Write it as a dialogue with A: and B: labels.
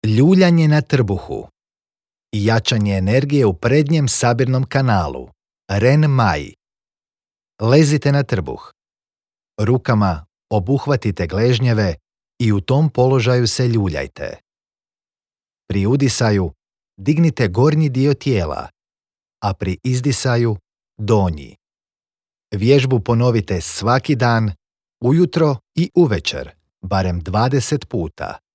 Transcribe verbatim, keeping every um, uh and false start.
A: Ljuljanje na trbuhu. Jačanje energije u prednjem sabirnom kanalu. Ren Mai. Lezite na trbuh. Rukama obuhvatite gležnjeve i u tom položaju se ljuljajte. Pri udisaju dignite gornji dio tijela, a pri izdisaju donji. Vježbu ponovite svaki dan, ujutro i uvečer, barem dvadeset puta.